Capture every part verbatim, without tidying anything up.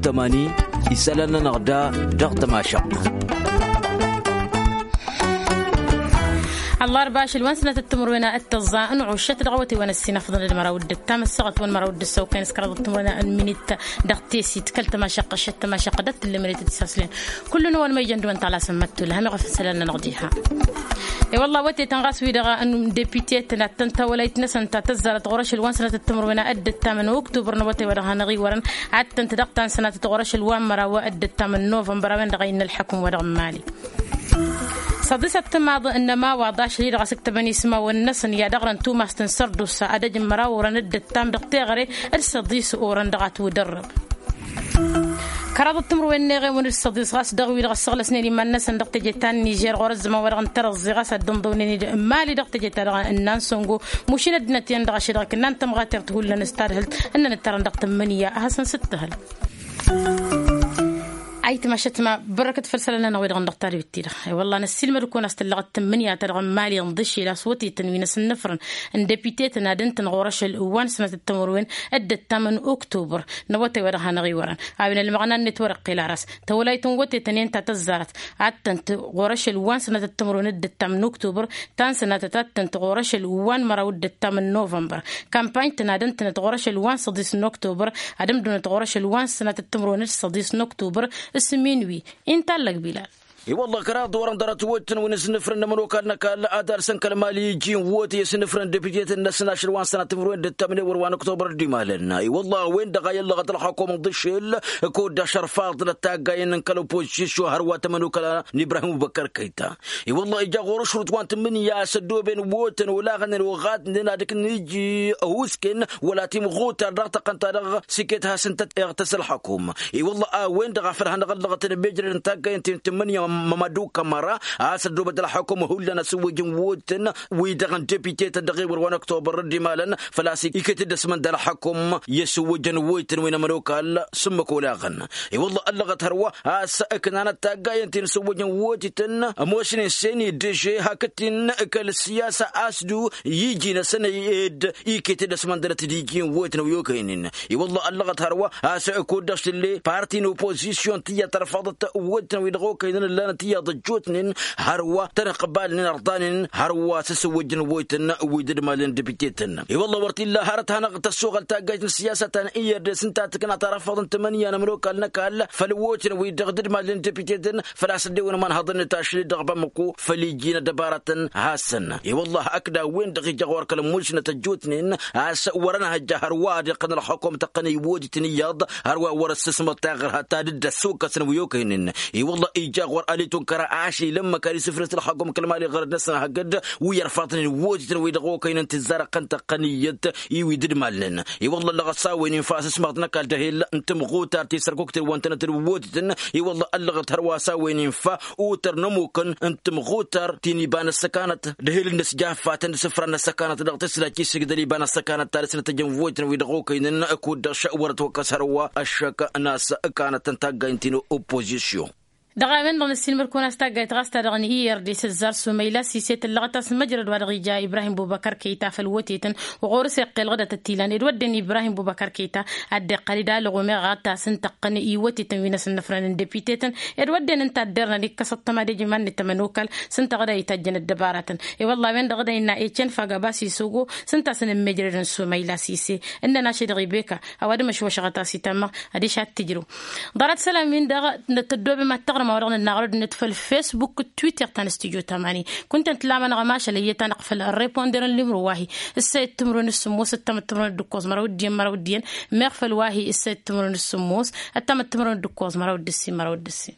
Tămani isălan-nănăɣ da dăɣ-tămašăɣt. Ăllarba ašăl wa n-sănatăt timǝrwen a dd-tăẓẓa n-ɣuššăt dăɣ-awătay wa n-ăssinăfḍăn d-măraw d-ǝttam ăssaɣăt wa n-măraw d-ǝssăwkăyăn s-kăraḍăt timǝrwen n-minit dăɣ-tesit kăl-tămašăqq ašăt tămašăqq d-ăttǝllămălet d-isaslen. Kullu-năwăn ma ijăn d-wăn taɣlasăn măttula hamiɣ ăfăsălan-nănăɣ diha. I-wălla awătay-tăn ɣas wi-dăɣ n-depite-tăn ad-tăn-tawălayt-năsăn ta tăzzarăt ɣur-ašăl wa n-sănatăt timǝrwen a dd-ǝttam n-oktober n-awătay wa dăɣ-hanăɣ-iwărăn ad-tăn-t-dăɣ ta n-sănatăt ɣur-ašăl wa n-măraw a dd-ǝttam n-novămbăr a-wen-dăɣ a innă ălḥăkǝm wa dăɣ-n mali. Săḍisăt timaḍ n-ămawaḍ ašăl-i-dăɣ a s-ǝktăbăn ismawăn-năsăn i-ad-ăɣrăn tumast n-sărdusa ad-ăj n-măraw orăn dd-ǝttam dăɣ-teɣăre d-săḍis orăn dăɣ-atwǝdărrăb. Kăraḍăt timǝrwen n-eɣewăn d-săḍis ɣas dăɣ-wi-dăɣ ăssăɣlăsnen iman-năsăn dăɣ-teje ta n-nižer ɣur-ăzzăman wa dăɣ-n tărăẓẓe ɣas ad-dd-ǝnḍăwnen d-mali dăɣ-teje ta dăɣ-n nan săngo. Mušin ăddinăt-in-dăɣ ašăl-dăɣ kǝnnan tămɣatert hullan s-tadhǝlt ǝnnăn ǝttărăn dăɣ-tǝmmǝnǝya a hasăn-sǝttǝhǝl. Ayǝtma ašăt ma bărrăkăt făll-isălan-nănăɣ wi-dăɣ n-dăɣ-tadbit-ti-dăɣ. I-wălla năssiilmăd-kăwăn a-s tǝllăɣăt tǝmmǝnǝya-ta-dăɣ n-mali ǝnḍǝšel a-s wătetăn wi n-asǝnnǝfrăn n-depite-tăn ad-ǝntǝn ɣur-ašăl wa n-sănatăt timǝrwen d-ǝttam n-oktobăr n-awătay wa dăɣ-hanăɣ-iwărăn. A-wen ălmăɣna-net wăr-iqqel ar a-s tawălayt n-wătetăn i-ǝnta tăzzarăt ad-tăn-t ɣur-ašăl wa n-sănatăt timǝrwen d-ǝttam n-oktobăr ta n-sănatăt ad-tăn-t ɣur-ašăl wa n-măraw d-ǝttam n-novămbăr. Kampany-tăn ad-ǝntǝnăt ɣur-ašăl wa n-săḍis n-oktobăr ad-ǝmdǝwǝnăt ɣur-ašăl wa n-sănatăt timǝrwen d-săḍis n-oktobăr s-minwi. Inta allăg bilal. I-wălla kăraḍ orăn ḍarăt wăttăn wi n-asǝnnǝfrăn n-ămănokal n-ăkall ad-arsăn kăl-mali iji n-wăte i-asǝnnǝfrăn depite-tăn-năsăn ašăl wa n-sănatăt timǝrwen d-ǝttam n-ewăr wa n-oktobăr dd-imalăn. I-wălla a-wen-dăɣ a i-ăllăɣăt ălxăkum ǝḍǝšel kud-dăɣ šărfaḍnăt taggayen n-kăl-opozisyon hărwa tămănokăla n-ibrahim bubăkăr kăyta. I-wălla ija ɣur-ašrut wa n-tǝmmǝnǝya a-s ăddooben wătăn olaɣnen oɣatnen ad-ǝknen iji ăhusken wăla timɣutar dăɣ-tăqqăn-ta-dăɣ s-iket hasăn-tăt-iɣtăs ălxăkum. I-wălla a-wen-dăɣ a făl hanăɣ-ăllăɣătăn mejrăd n-taggayen ti n-tǝmmǝnǝya mămăduk ămăra a-s ăddoobăt ălxăkum hullan asǝwwǝjăn wătăn wi-dăɣ n-depite-tăn dăɣ-ewăr wa n-oktobăr dd-imalăn făl-a-s iket-dd ăsmănd ălxăkum i-asǝwwǝjăn wătăn wi n-ămănokal s-ǝmmǝk olaɣăn. I-wălla ăllăɣăt hărwa a-s ǝknanăt taggayen ti n-asǝwwǝjăn wătităn ămoosnen s-en-dd ăže hakd-t-in kăl-siyasa a-s du iji-năsăn ed iket-dd ăsmăndălăt d-iji n-wăytăn wi okăynen. I-wălla ăllăɣăt hărwa a-s kud-dăɣ s-tǝlle parti n-opozisyon tiyyăt tărfăḍăt wăytăn wi dăɣ-okăynen ǝllanăt iyyăḍ ăjjootnen hărwa tăn-ăqbalnen ărḍanen hărwa s-asǝwwăjjăn wăytăn wi dd-malnen depite-tăn. I-wălla wăr t-illa hărăt hanăɣ-tăssoɣăl taggajt n-siyasa ta n-i r d s-ǝnta tǝkna tarăfăḍ n-tǝmǝnǝya n-ămrokal n-ăkall făll-wătăn wi-dăɣ dd-malnen depite-tăn făl-a-s ăddewăn ămanhăḍăn n-tašlit dăɣ-bamăko făll-iji n-ăddăbarătăn hasăn. I-wălla hakd a-wen-dăɣ ija ɣur-kăl-ămmušnăt ăjjootnen a-s wăr-ănhăjja hărwa ad-iqqăn ălxăkom tăqqăn iwwădităn iyyăḍ hărwa wăr-ăssǝsmăḍ taɣărha ta dd-ăssokăsăn wi okăynen. I-wălla ija ɣur-alitun kăra ašăl ilămmăk ad-isǝfrǝs ălxăkom kăl-mali ɣărăt-năsăn hakd wi ărfaḍnen iwwădităn wi-dăɣ okăynen tǝzzarăɣ-tăn tăqqăn iyyăt i-wi dd-malnen. I-wălla ăllăɣăt s-a-wen infa asǝsmaḍ n-ăkall d-ehel n-tǝmɣutar ti sărkukten wa ǝntănăt d-iwwădităn. I-wălla ăllăɣăt hărwa s-a-wen infa otăr n-ămmukăn n-tǝmɣutar ti n-iba n-ăssăkanăt d-ehel n-ăsjaffatăn d-isǝfra n-ăssăkanăt dăɣ-tǝslaj ti s-igdăl iba n-ăssăkanăt ta dăɣ-s n-ătăjjăn vojtăn wi-dăɣ okăynen. Kud-dăɣ wăr-ătwăkkăs hărwa ăššăk n-a-s ǝkanăt n-taggayt n-ti n-oppozisyon. Dăɣ-a-wen-dăɣ năssiilmăd-kăwăn a-s taggayt ɣas ta dăɣ-n i r d s-ǝzzar sumayla sise tǝllăɣăt a-s măjrăd wa dăɣ-ija ibrahim bubăkăr kăyta făll-wătetăn ɣur-s iqqel ɣǝdăt ăttilan ed wădden ibrahim bubăkăr kăyta ad-dd-iqqăl-dd alăɣ umeɣ a ta s-ǝntăqqăn iwătetăn wi n-asǝnnăfrăn n-depite-tăn ed wădden ǝnta a dd-irnăn ikkăsăt tămad ejǝman n-tamănokal s-ǝnta ɣǝd a itajjăn ăddăbaratăn. I-wălla a-wen-dăɣ ɣǝd a innă ecen fagaba s-isogo s-ǝnta a-s ănǝmmejrăd n-sumayla sise ǝnnăn ašăl-dăɣ ibeka a-wa d-măšwăšăɣăt a-s itămmăɣ. Adiš ad-t-ǝjrǝw ḍarăt isălan-win-dăɣ tăddobem ad-taɣrǝm a-wa dăɣ-nǝnnaɣ ărăd-net făll-fesbuk d-twitter ta n-studyo tamani. Kunta ǝntǝlamănăɣ ămašal ăyyăt-anăɣ făll-reponderăn limro wa-hi ǝssa i-timǝrwen d-sǝmmos ǝttam d-timǝrwen d-ǝkkoẓ măraw d-iyyăn măraw d-iyyăn meɣ făll-wa-hi ǝssa i-timǝrwen d-sǝmmos ăttam d-timǝrwen d-ǝkkoẓ măraw d-ǝssin măraw d-ǝssin.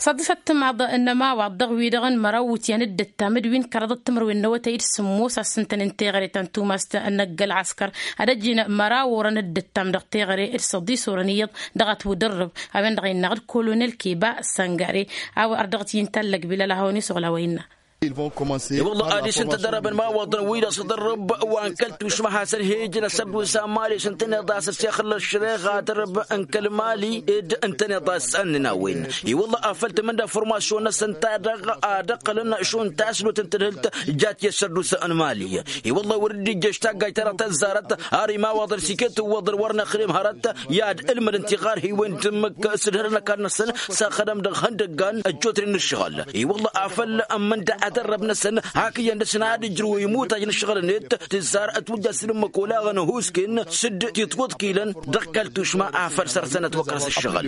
Săḍisăt timaḍ n-ămawaḍ dăɣ-wi-dăɣ n-măraw wǝtyan d-ǝttam d-wi n-kăraḍăt timǝrwen n-awătay d-sǝmmos a s-ǝntăn n-teɣăre ta n-tumast n-ăgg-ălɣăskăr ad-ăjjin măraw orăn d-ǝttam dăɣ-teɣăre d-săḍis orăn iyyăḍ dăɣ-ătwǝdărrǝb. A-wen-dăɣ innă d-kolonel keba săngare a-wa ărdăɣăt i-ǝnta ăllăg bilal a hawăn-isuɣǝl a-wa innă. I-wălla adiš ǝnta dărăbăn imawaḍăn wi-dăɣ s-ăḍărrăb wa n-kăl-tušma hasăn-hi-ǝjrăs ăddus amali s-ǝntăneḍ a-s ăssexăl ăššăreɣa dărăb n-kăl-mali ed ǝntăneḍ a-s ănnăn a-wen. I-wălla afăl tǝmǝnda formasyon-năsăn ta dăɣ-a dăɣ-qălăn šund taslot n-tadhǝlt jat i-ăssăddus n-mali. I-wălla wăr dd-ijjăš taggajt-ta-dăɣ tăzzarăt har imawaḍăn s-iket ǝwwăḍăn wăr năxrem hărăt i-ad-ǝlmǝdăn tiɣarhiwen d-tǝmmǝk s-ǝdhărăn ăkall-năsăn s-axădăm dăɣ-ihăndăggan ăjjootnen n-ǝššăɣǝl. I-wălla afăl ămmănda ad-ărrăb-năsăn hak iyyăn dăr-săn ad-ǝjrǝw imutaj n-ǝššăɣǝl-net tǝzzar ătwǝjja s-dd-ǝmmǝk olaɣăn ăhuusken s-dd-titwǝḍkilăn dăɣ-kăl-tušma afăl săr-sănăt wăkras ǝššăɣǝl.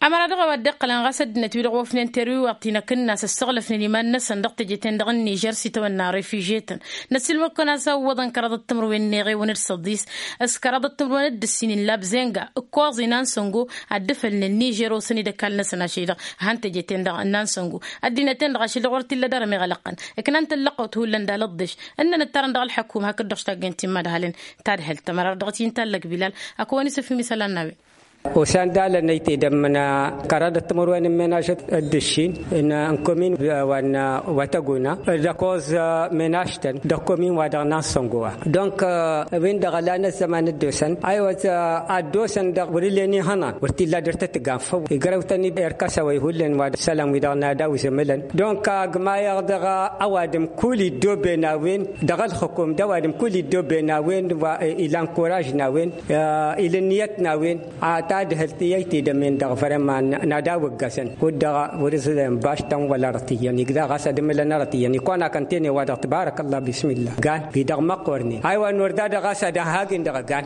Ămăra dăɣ-a-wa dd-iqqălăn ɣas ăddinăt-wi-dăɣ ofnen terwiwaḍt-i n-akǝnnas ăssăɣlăfnen iman-năsăn dăɣ-teje-ten-dăɣ n-nižer s-itawănna refiže-tăn. Năssiilmăd-kăwăn a-s ăwwăḍăn kăraḍăt timǝrwen n-eɣewăn d-săḍis s-kăraḍăt timǝrwen d-ǝssin n-labzenga ǝkkoẓ-i n-ansăngo ad-dd-ǝfălnen nižer osăn-dd ăkall-năsăn ašăl-i-dăɣ han teje-ten-dăɣ n-ansăngo. Ăddinăt-en-dăɣ ašăl-i-dăɣ wăr t-illa dăr-ămeɣ ălăqqăn ǝknan tǝllăqqăwt hullan d-alăḍḍeš ǝnnăn ǝttarăn dăɣ-ălḥăkum hakd-dăɣ s-taggăyăn timmad halen. Tadhǝlt ămăra dăɣ-t-i n-tallăg bilal. Ăkăwăn-isǝfhǝm isălan n-a-wen. Osan d-alăn ăytedăm n-kăraḍăt timǝrwen n-menaž d-ǝššin n-komin wa n-wa tăguna d-ăkoẓ menaž-tăn dăɣ-komin wa dăɣ-nansăngo wa. Dănk wi-dăɣ ălan ăzzăman dd-osăn aywa. Ad-dd-osăn dăɣ-wăr-ǝllen ihănan wăr t-illa dăr-tăt-ǝgan făw igrăw-tăn i-erkăsăwăy hullan wa d-isălan wi-dăɣ n-ad-awǝzǝmǝlăn. Dănk agmayăɣ dăɣ-ăwadǝm kull iddoben a-wen dăɣ-ălxǝkum d-ăwadǝm kull iddoben a-wen wa ilan kuraž n-a-wen. Ila ǝnniyăt n-a-wen. Tadhǝlt i-ăytedăm-en-dăɣ vrema n-ad-awǝggăsăn kud-dăɣ wăr-ǝẓǝlăn baš-tăn wăla răt iyyăn igdăɣ ɣas ad-ǝmǝlăn arăt iyyăn ikon akăntene-wa-dăɣ tǝbarăk ăllah bismillah gan-i-dăɣ măqqornen. Aywa n-wăr da-dăɣ ɣas ad-ăhhagin dăɣ-gan.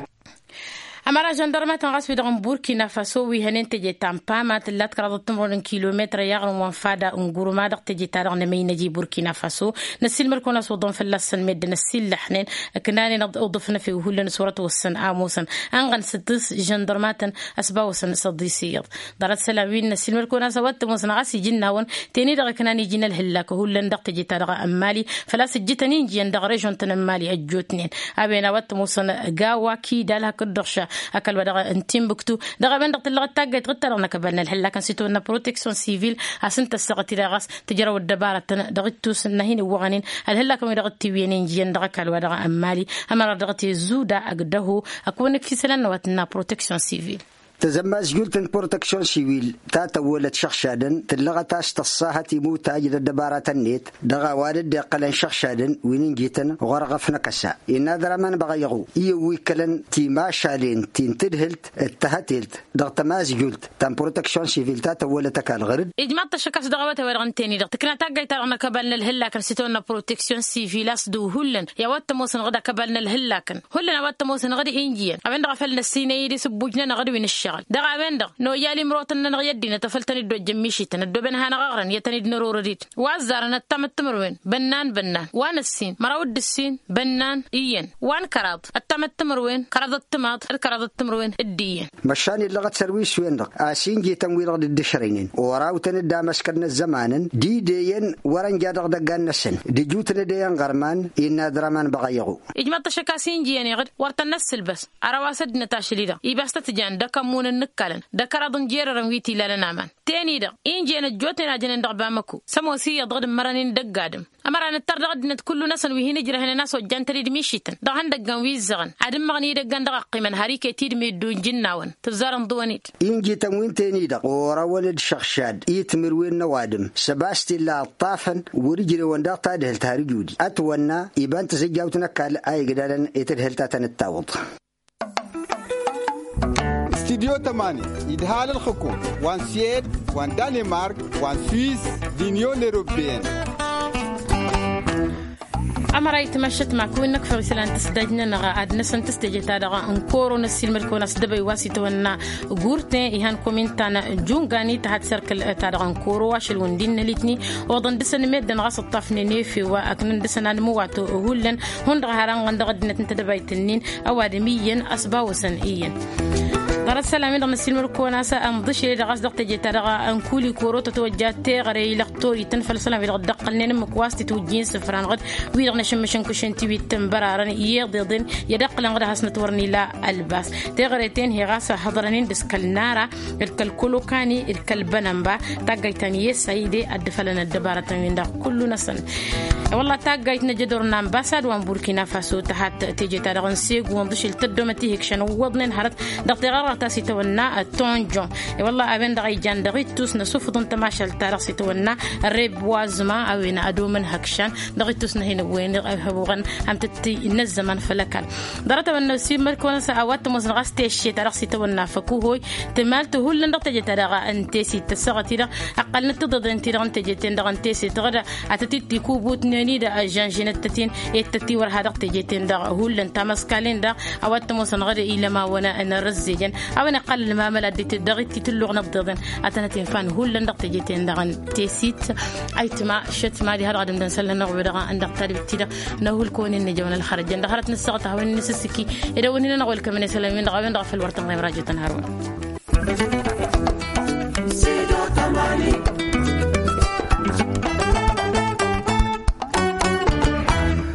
Ămăra žăndărmatăn ɣas wi-dăɣ n-burkina faso wi hănen teje ta n-pama tǝllat kăraḍăt timǝrwen n-kilometr i-aɣrǝm wa n-fada n-gurma dăɣ-teje-ta-dăɣ n-emăynăj i-burkina faso. Năssiilmăd-kăwăn a-s oḍăn fălla-săn meddǝn ăssiillăḥnen ǝknanen. Oḍǝf n-efew hullan s-wăr ătwăssăn amusăn ănɣăn s-tǝs žăndărmatăn ăsbawăsăn s-ăḍis iyyăḍ. Ḍarăt isălan wi n-năssiilmăd-kăwăn a-s a-wa t-ămoosăn ɣas iji n-nawăn teni-dăɣ ǝknan iji n-ălhǝllak hullan dăɣ-teje-ta-dăɣ n-mali. Făl-a-s ǝjjǝtăn injiyăn dăɣ-režon-tăn n-mali ăjjootnen. A-wen a-wa t-ămoosăn gawa kidal hakd-dăɣ ša ăkall-wa-dăɣ n-timbuktu. Dăɣ-a-wen-dăɣ tǝllăɣăt taggayt ɣǝd-ta-dăɣ n-akăbal n-ălhǝllak n-sitawănna proteksyon sivil. A-s ǝnta ăssaɣăt-i-dăɣ ɣas tǝjrăw ăddăbarătăn dăɣ-ittus n-ad-hin-ǝwwăɣănen ălhǝllakăn wi dăɣ-t-iwwiyăn injiyăn dăɣ-ăkall-wa-dăɣ n-mali. Ămăra dăɣ-t-e zuda ăgg-dăho. Ăkk-wăn-ǝkf isălan n-a-wa tǝnna proteksyon sivil. Tăzămmazjult n-proteksyon sivil ta tăwwălăt šăɣšadăn tǝllăɣăt a-s tăṣṣahăt imutaj d-ăddăbaratăn-net dăɣ-a-wa dd-iqqălăn šăɣšadăn wi n-injităn ɣur-ɣăf n-akăsa. Innă ad-rămăn băɣăyăɣu iyyăn wi ǝkkălăn timašalen ti n-tǝdhǝlt d-tăhătelt dăɣ-tămazjult ta n-proteksyon sivil ta tăwwălăt ăkall ɣăr-dd. Ijmaḍ-t ăššăk a-s dăɣ-awătay-wa-dăɣ n-teni-dăɣ tǝkna taggayt-ta-dăɣ n-akăbal n-ălhǝllakăn s-itawănna proteksyon sivil a-s dăɣ-hullan i-a-wa t-ămoosăn ɣǝd akăbal n-ălhǝllakăn. Hullan a-wa t-ămoosăn ɣǝd injiyăn a-wen-dăɣ a făl năssinăy-dd isǝbbuj-nănăɣ d-wi n-ǝššăɣǝl dăɣ-a-wen-dăɣ. Noyal imrotăn-nănăɣ i-ăddinăt a făl tăn-dd-ojjăn mišităn ăddooben ad-hanăɣ-ăɣrăn i-ad-tăn-dd-nărorăd-dd wa ăzzarăn ăttam d-timǝrwen. Bănnan bănnan wa n-ǝssin măraw d-ǝssin bănnan iyyăn wa n-kăraḍ ăttam d-timǝrwen kăraḍ d-timaḍ d-kăraḍ d-timǝrwen d-iyyăn. Măšan illăɣăt sărwis-wen-dăɣ a-s injităn-wi-dăɣ dd-ǝšrăynen orawtăn-dd amăskăd n-ăzzămanăn d-ideyăn wăr-ănja dăɣ-idăggan-năsăn d-ijutăn ed e-inɣărman. Innă ad-rămăn băɣăyăɣu. Ijmăḍ-t ăššăk a-s injiyăn iɣǝd wăr tăn-năssǝlbăs ărăw a-s ăddinăt ašăl-i-dăɣ ibas tăt-jan d-akămmun n-ǝkkalăn d-akăraḍ n-jerărăn wi t-ilalăn aman. Ten-i-dăɣ injiyăn ăjjootnen a jănen dăɣ-bamăko s-ămoos iyyăḍ dăɣ-dd-ǝmmărăn-in dăgg-adǝm. Ămăra nǝttar dăɣ-ăddinăt kullu-năsăn wi hin-ǝjrăhnen a-s ojjan-tăn-dd mišităn dăɣ-ihăndăggan wi ǝzzăɣăn ad-ǝmmăɣăn idăggan dăɣ-ăqqimăn har iket-dd meddǝw n-ijǝnnawăn tǝzzar ǝnḍǝwăn-dd. Injităn wi n-ten-i-dăɣ orăwăn d-išăɣšad i-timǝrwen n-ăwadǝm s-ăbas t-illa ǝṭṭafăn wăr-ǝjrewăn daɣ tadhǝlt har ǝjudi ătwănna iba n-tizǝjjawt n-ăkall a igdalăn i-tadhǝlt a tăn-dd-tawǝḍ. Studyo tămani idhal ǝlxǝkum wa n-swed wa n-danemark wa n-swiss d-inyon eropeyăn. Ămăra itmăššăt ma kăwăn-năkfăɣ isălan tǝsdaj-nănăɣ ad-năsăn tǝstăjăt-ta-dăɣ n-koro năssiilmăd-kăwăn a-s dăbăy wa s-itwănna gurten ihan komin ta n-jungan i-tăhat serkǝl-ta-dăɣ n-koro ašăl-wǝn d-innă litni. Oḍăn dăr-săn meddǝn ɣas ǝṭṭafnen efew wa ăknăn dăr-săn ad-mǝwat hullan hundăɣ har ănɣăn dăɣ-ăddinăt n-tedăbayt-nin. Ăwadǝm iyyăn ăsbawăsăn iyyăn. Ărăt isălan-wi-dăɣ n-ăssiilmăr-kăwăn a-s ănḍǝšel i-dăɣ a-s dăɣ-teje-ta-dăɣ n-kuli koro tătwăjja teɣăre i-lăxtor itǝnfăl isălan-wi-dăɣ dd-ăqqălnen ǝmmǝk wa s-titwǝjjin isǝfran ɣǝd wi-dăɣ n-ašǝmmǝšăn kǝšăn tiwit n-bărarăn i-iḍeḍen i-ad-ăqqǝlăn ɣǝd a has-nătwărăn ila ălbas. Teɣăre-ten-hi ɣas hăḍrănen d-s kăl-nara d-kăl-kolokani d-kăl-bănănba. Taggayt ta n-iyyăs a ide ad-dd-fălăn ăddăbarătăn-win-dăɣ kullu-năsăn. Wălla taggayt n-ajădor n-ambasad wa n-burkina faso tăhat teje-ta-dăɣ n-segu ănḍǝšel tăddomăt ihǝkšăn ǝwwăḍnen hărăt dăɣ-teɣăr dăɣ-ta s-itawănna tonjon. I-wălla a-wen-dăɣ a ijan dăɣ-ittus n-asufǝḍ n-tămašalt-ta-dăɣ s-itawănna reboisement a-wen ad-omăn hăkšan dăɣ-ittus n-ahin ăwwen ihăbuɣăn amtăt n-ăzzăman făll-ăkall. Ḍarăt-a-wen n-ăssiilmăr-kăwăn a-s a-wa t-ămoosăn ɣas teše-ta-dăɣ s-itawănna făkuhoy tǝmalt hullan dăɣ-teje-ta-dăɣ n-tesit tăssaɣăt-i-dăɣ ăqqălnăt tiḍeḍen-ti-dăɣ n-teje-ten-dăɣ n-teset ɣǝd atăt-dd-tikubutnen-i-dăɣ ăžžănžinăt-tăt-in i-tăt-iwărha dăɣ-teje-ten-dăɣ hullan tamaskalen-dăɣ. A-wa t-ămoosăn ɣǝd ilamawăn n-arăzzejăn a-wen iqqăl ălmamăl ad-dd-itǝlluɣ n-ăḍḍeḍen ad-tănăt-infan hullan dăɣ-teje-ten-dăɣ n-tesit. Ayǝtma šătma diha-dăɣ ad-ǝmdăn isălan-năɣ wi-dăɣ n-dăɣ-tadbit-ti-dăɣ n-ahulkăwăn-in n-ejăwăn ălxărăjăn dăɣ-hărăt n-ǝssaɣăt a hawăn-in-nǝsǝssǝki. Ed a-wen hin-ănăɣ welkămăn isălan-win-dăɣ a-wen-dăɣ a făl wăr tăn-ɣem rajo tăn-hărwăn.